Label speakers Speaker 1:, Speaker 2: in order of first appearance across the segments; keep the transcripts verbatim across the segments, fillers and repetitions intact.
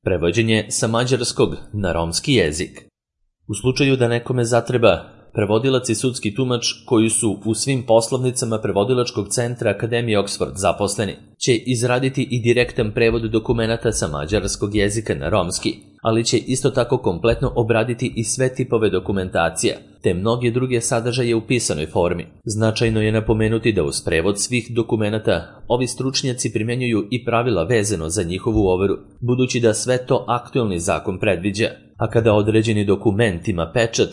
Speaker 1: Prevođenje sa mađarskog na romski jezik. U slučaju da nekome zatreba prevodilac i sudski tumač koji su u svim poslovnicama Prevodilačkog centra Akademije Oxford zaposleni, će izraditi i direktan prevod dokumenata sa mađarskog jezika na romski, ali će isto tako kompletno obraditi i sve tipove dokumentacija, te mnoge druge sadržaje u pisanoj formi. Značajno je napomenuti da uz prevod svih dokumenata ovi stručnjaci primjenjuju i pravila vezano za njihovu overu, budući da sve to aktuelni zakon predviđa, a kada određeni dokument ima pečat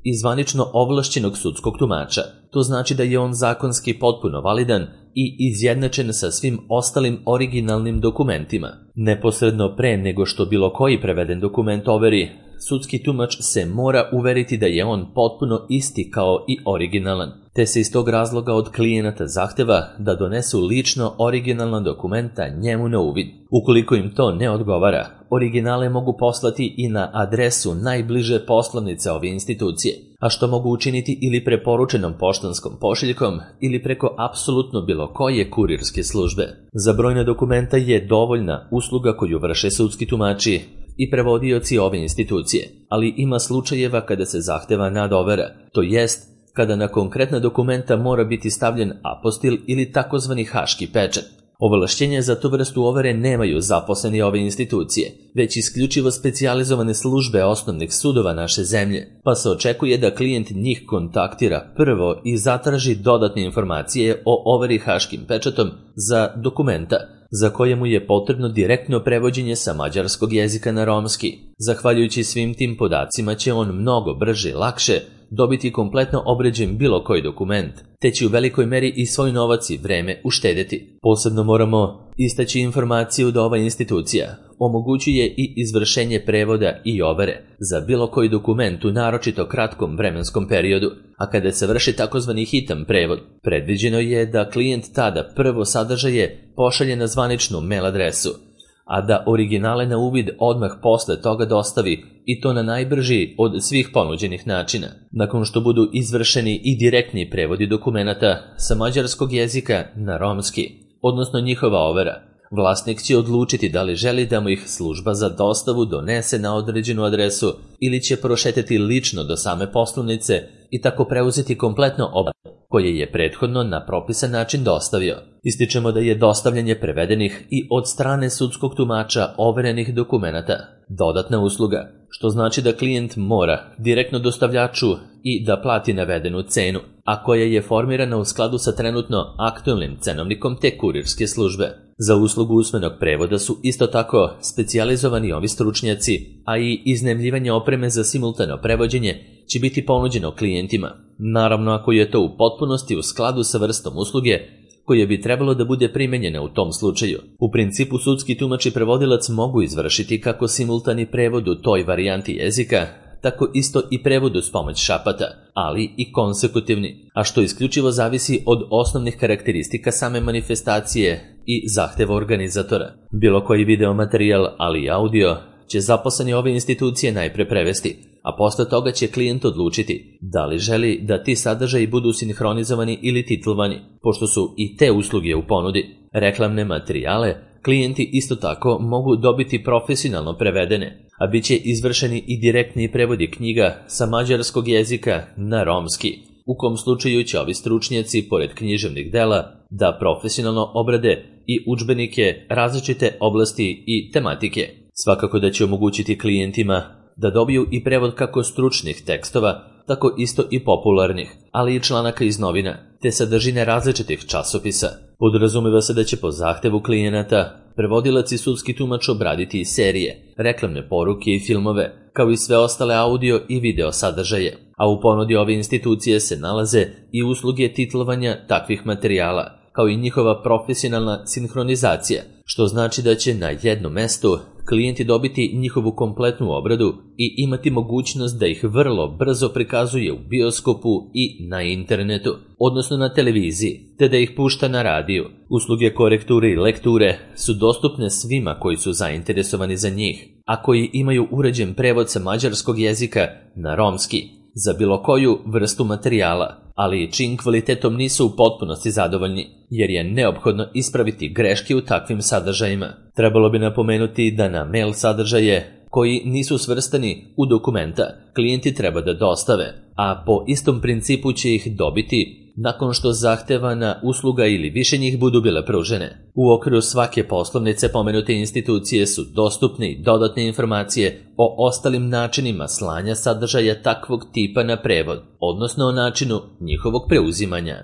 Speaker 1: i zvanično ovlašćenog sudskog tumača, to znači da je on zakonski potpuno validan i izjednačen sa svim ostalim originalnim dokumentima. Neposredno pre nego što bilo koji preveden dokument overi, sudski tumač se mora uveriti da je on potpuno isti kao i originalan, te se iz tog razloga od klijenata zahteva da donesu lično originalna dokumenta njemu na uvid. Ukoliko im to ne odgovara, originale mogu poslati i na adresu najbliže poslovnice ove institucije, a što mogu učiniti ili preporučenom poštanskom pošiljkom ili preko apsolutno bilo koje kurirske službe. Za brojna dokumenta je dovoljna usluga koju vrše sudski tumači i prevodioci ove institucije, ali ima slučajeva kada se zahteva nadovera, to jest kada na konkretna dokumenta mora biti stavljen apostil ili takozvani haški pečat. Ovlašćenje za tu vrstu overe nemaju zaposleni ove institucije, već isključivo specijalizovane službe osnovnih sudova naše zemlje, pa se očekuje da klijent njih kontaktira prvo i zatraži dodatne informacije o overi haškim pečatom za dokumenta, za koje mu je potrebno direktno prevođenje sa mađarskog jezika na romski. Zahvaljujući svim tim podacima će on mnogo brže i lakše dobiti kompletno obređen bilo koji dokument, te će u velikoj meri i svoj novac i vreme uštedeti. Posebno moramo istaći informaciju da ova institucija omogućuje i izvršenje prevoda i overe za bilo koji dokument u naročito kratkom vremenskom periodu, a kada se vrši takozvani hitan prevod, predviđeno je da klijent tada prvo sadržaje pošalje na zvaničnu mail adresu, a da originale na uvid odmah posle toga dostavi, i to na najbrži od svih ponuđenih načina. Nakon što budu izvršeni i direktni prevodi dokumenata sa mađarskog jezika na romski, odnosno njihova overa, vlasnik će odlučiti da li želi da mu ih služba za dostavu donese na određenu adresu ili će prošetati lično do same poslovnice i tako preuzeti kompletno obradu koje je prethodno na propisan način dostavio. Ističemo da je dostavljanje prevedenih i od strane sudskog tumača overenih dokumenata dodatna usluga, što znači da klijent mora direktno dostavljaču i da plati navedenu cenu, a koja je formirana u skladu sa trenutno aktuelnim cenovnikom te kurirske službe. Za uslugu usmenog prevoda su isto tako specijalizovani ovi stručnjaci, a i iznajmljivanje opreme za simultano prevođenje će biti ponuđeno klijentima, naravno ako je to u potpunosti u skladu sa vrstom usluge koja bi trebalo da bude primenjena u tom slučaju. U principu sudski tumač i prevodilac mogu izvršiti kako simultani prevod u toj varijanti jezika, tako isto i prevod uz pomoć šapata, ali i konsekutivni, a što isključivo zavisi od osnovnih karakteristika same manifestacije i zahteva organizatora. Bilo koji video materijal, ali i audio, će zaposleni ove institucije najpre prevesti, a posle toga će klijent odlučiti da li želi da ti sadržaji budu sinhronizovani ili titlovani, pošto su i te usluge u ponudi. Reklamne materijale klijenti isto tako mogu dobiti profesionalno prevedene, a bit će izvršeni i direktni prevodi knjiga sa mađarskog jezika na romski, u kom slučaju će ovi stručnjaci, pored književnih dela, da profesionalno obrade i udžbenike različite oblasti i tematike. Svakako da će omogućiti klijentima da dobiju i prevod kako stručnih tekstova, tako isto i popularnih, ali i članaka iz novina, te sadržine različitih časopisa. Podrazumeva se da će po zahtevu klijenata prevodilac i sudski tumač obraditi i serije, reklamne poruke i filmove, kao i sve ostale audio i video sadržaje, a u ponudi ove institucije se nalaze i usluge titlovanja takvih materijala, kao i njihova profesionalna sinhronizacija, što znači da će na jednom mestu klijenti dobiti njihovu kompletnu obradu i imati mogućnost da ih vrlo brzo prikazuje u bioskopu i na internetu, odnosno na televiziji, te da ih pušta na radiju. Usluge korekture i lekture su dostupne svima koji su zainteresovani za njih, a koji imaju uređen prevod sa mađarskog jezika na romski, za bilo koju vrstu materijala, ali čijim kvalitetom nisu u potpunosti zadovoljni, jer je neophodno ispraviti greške u takvim sadržajima. Trebalo bi napomenuti da na mail sadržaje koji nisu svrstani u dokumenta klijenti treba da dostave, a po istom principu će ih dobiti nakon što zahtevana usluga ili više njih budu bile pružene. U okviru svake poslovnice pomenute institucije su dostupne i dodatne informacije o ostalim načinima slanja sadržaja takvog tipa na prevod, odnosno o načinu njihovog preuzimanja.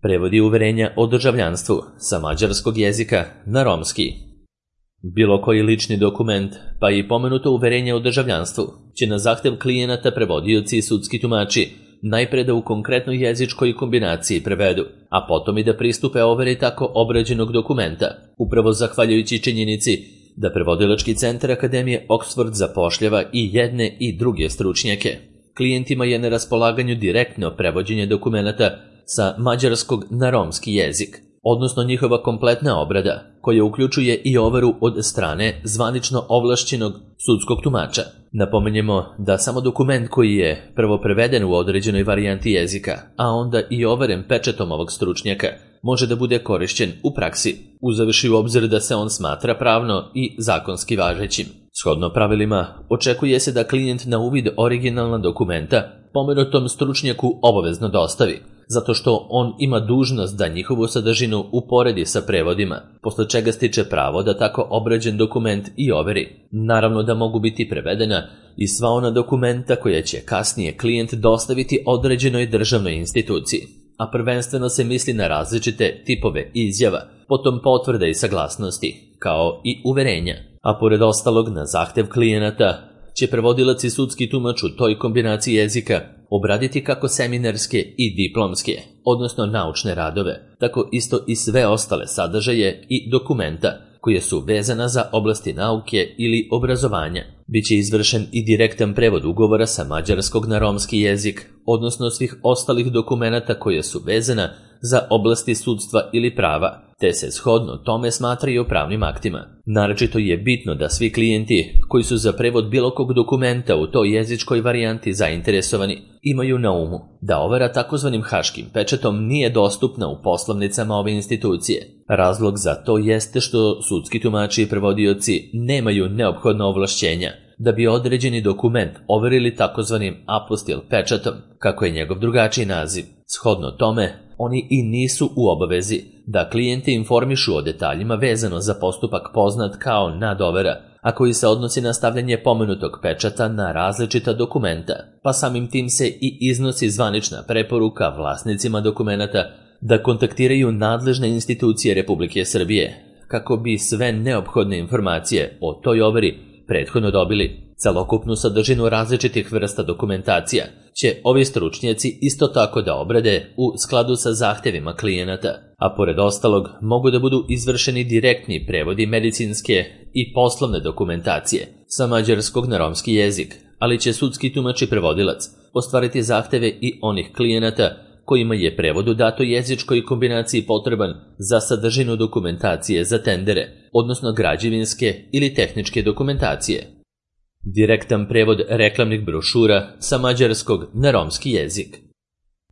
Speaker 1: Prevodi uverenja o državljanstvu sa mađarskog jezika na romski. Bilo koji lični dokument, pa i pomenuto uverenje o državljanstvu, će na zahtev klijenata prevodioci i sudski tumači najpre da u konkretnoj jezičkoj kombinaciji prevedu, a potom i da pristupe overi tako obrađenog dokumenta, upravo zahvaljujući činjenici da prevodilački centar Akademije Oxford zapošljava i jedne i druge stručnjake. Klijentima je na raspolaganju direktno prevođenje dokumenata sa mađarskog na romski jezik, odnosno njihova kompletna obrada, koja uključuje i overu od strane zvanično ovlašćenog sudskog tumača. Napomenjemo da samo dokument koji je prvo preveden u određenoj varijanti jezika, a onda i overen pečatom ovog stručnjaka, može da bude korišćen u praksi, uzevši u obzir da se on smatra pravno i zakonski važećim. Shodno pravilima, očekuje se da klijent na uvid originalna dokumenta pomenutom stručnjaku obavezno dostavi, zato što on ima dužnost da njihovu sadržinu uporedi sa prevodima, posle čega stiče pravo da tako obrađen dokument i overi. Naravno da mogu biti prevedena i sva ona dokumenta koja će kasnije klijent dostaviti određenoj državnoj instituciji, a prvenstveno se misli na različite tipove izjava, potom potvrde i saglasnosti, kao i uverenja. A pored ostalog, na zahtev klijenata će prevodilac i sudski tumač u toj kombinaciji jezika obraditi kako seminarske i diplomske, odnosno naučne radove, tako isto i sve ostale sadržaje i dokumenta koje su vezana za oblasti nauke ili obrazovanja. Biće izvršen i direktan prevod ugovora sa mađarskog na romski jezik, odnosno svih ostalih dokumenata koje su vezana za oblasti sudstva ili prava, te se shodno tome smatraju pravnim aktima. Naročito je bitno da svi klijenti koji su za prevod bilo kog dokumenta u toj jezičkoj varijanti zainteresovani imaju na umu da overa takozvanim haškim pečatom nije dostupna u poslovnicama ove institucije. Razlog za to jeste što sudski tumači i prevodioci nemaju neophodna ovlašćenja da bi određeni dokument overili takozvanim apostil pečatom, kako je njegov drugačiji naziv. Shodno tome, oni i nisu u obavezi da klijente informišu o detaljima vezano za postupak poznat kao nadovera, a koji se odnosi na stavljanje pomenutog pečata na različita dokumenta, pa samim tim se i iznosi zvanična preporuka vlasnicima dokumenata da kontaktiraju nadležne institucije Republike Srbije, kako bi sve neophodne informacije o toj overi prethodno dobili. Celokupnu sadržinu različitih vrsta dokumentacija će ovi stručnjaci isto tako da obrade u skladu sa zahtevima klijenata, a pored ostalog mogu da budu izvršeni direktni prevodi medicinske i poslovne dokumentacije sa mađarskog na romski jezik, ali će sudski tumač i prevodilac ostvariti zahteve i onih klijenata kojima je prevod u datoj jezičkoj kombinaciji potreban za sadržinu dokumentacije za tendere, odnosno građevinske ili tehničke dokumentacije. Direktan prevod reklamnih brošura sa mađarskog na romski jezik.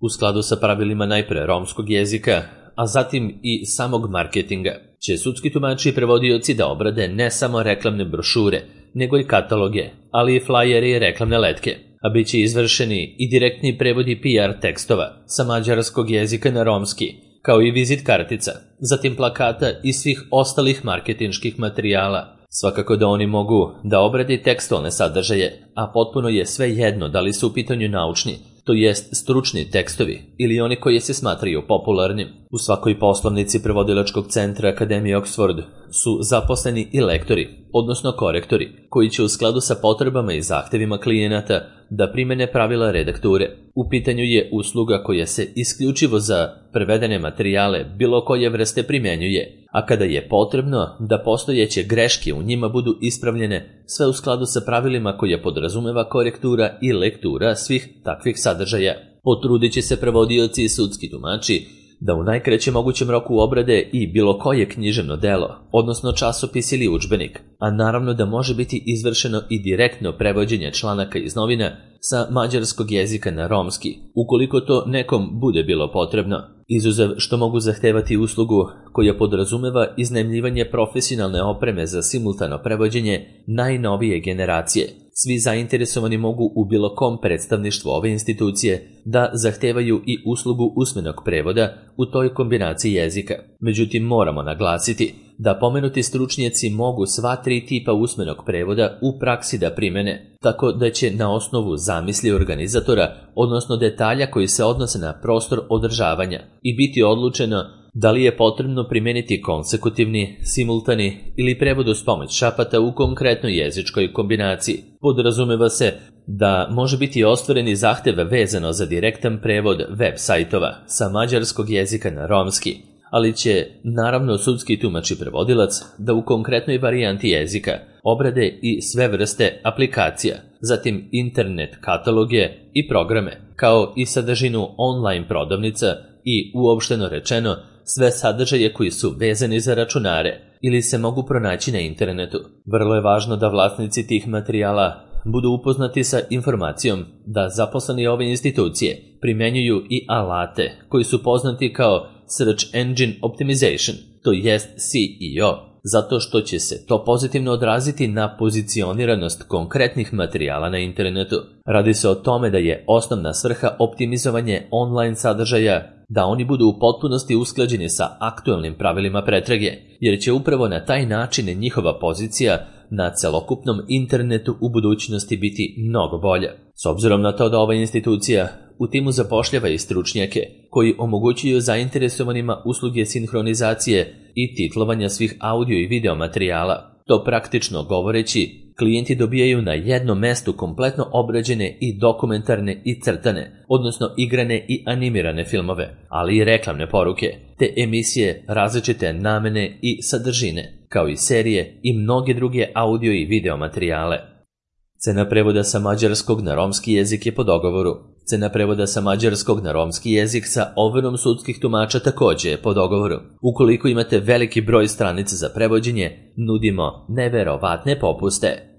Speaker 1: U skladu sa pravilima najpre romskog jezika, a zatim i samog marketinga, će sudski tumači i prevodioci da obrade ne samo reklamne brošure, nego i kataloge, ali i flajere i reklamne letke, a bit će izvršeni i direktni prevodi P R tekstova sa mađarskog jezika na romski, kao i vizit kartica, zatim plakata i svih ostalih marketinških materijala. Svakako da oni mogu da obrade tekstualne sadržaje, a potpuno je sve jedno da li su u pitanju naučni, to jest stručni tekstovi, ili oni koji se smatraju popularnim. U svakoj poslovnici prevodilačkog centra Akademije Oxford su zaposleni i lektori, odnosno korektori, koji će u skladu sa potrebama i zahtevima klijenata da primene pravila redakture. U pitanju je usluga koja se isključivo za prevedene materijale bilo koje vrste primjenjuje, a kada je potrebno da postojeće greške u njima budu ispravljene, sve u skladu sa pravilima koje podrazumeva korektura i lektura svih takvih sadržaja. Potrudit će se prevodioci i sudski tumači da u najkraćem mogućem roku obrade i bilo koje književno delo, odnosno časopis ili udžbenik, a naravno da može biti izvršeno i direktno prevođenje članaka iz novina sa mađarskog jezika na romski, ukoliko to nekom bude bilo potrebno, izuzev što mogu zahtevati uslugu koja podrazumeva iznajmljivanje profesionalne opreme za simultano prevođenje najnovije generacije. Svi zainteresovani mogu u bilo kom predstavništvu ove institucije da zahtevaju i uslugu usmenog prevoda u toj kombinaciji jezika. Međutim, moramo naglasiti da pomenuti stručnjaci mogu sva tri tipa usmenog prevoda u praksi da primene, tako da će na osnovu zamisli organizatora, odnosno detalja koji se odnose na prostor održavanja, i biti odlučeno da li je potrebno primeniti konsekutivni, simultani ili prevod uz pomoć šapata u konkretnoj jezičkoj kombinaciji. Podrazumeva se da može biti ostvareni zahtev vezano za direktan prevod web sajtova sa mađarskog jezika na romski, ali će, naravno, sudski tumač i prevodilac da u konkretnoj varijanti jezika obrade i sve vrste aplikacija, zatim internet kataloge i programe, kao i sadržinu online prodavnica i, uopšteno rečeno, sve sadržaje koji su vezani za računare ili se mogu pronaći na internetu. Vrlo je važno da vlasnici tih materijala budu upoznati sa informacijom da zaposleni ove institucije primenjuju i alate koji su poznati kao Search Engine Optimization, to jest S E O, zato što će se to pozitivno odraziti na pozicioniranost konkretnih materijala na internetu. Radi se o tome da je osnovna svrha optimizovanje online sadržaja, da oni budu u potpunosti usklađeni sa aktuelnim pravilima pretrage, jer će upravo na taj način njihova pozicija na celokupnom internetu u budućnosti biti mnogo bolja. S obzirom na to da ova institucija u timu zapošljava i stručnjake koji omogućuju zainteresovanima usluge sinhronizacije i titlovanja svih audio i video materijala, to praktično govoreći, klijenti dobijaju na jednom mestu kompletno obrađene i dokumentarne i crtane, odnosno igrane i animirane filmove, ali i reklamne poruke, te emisije različite namene i sadržine, kao i serije i mnoge druge audio i video materijale. Cena prevoda sa mađarskog na romski jezik je po dogovoru. Cena prevoda sa mađarskog na romski jezik sa overom sudskih tumača takođe je po dogovoru. Ukoliko imate veliki broj stranica za prevođenje, nudimo neverovatne popuste.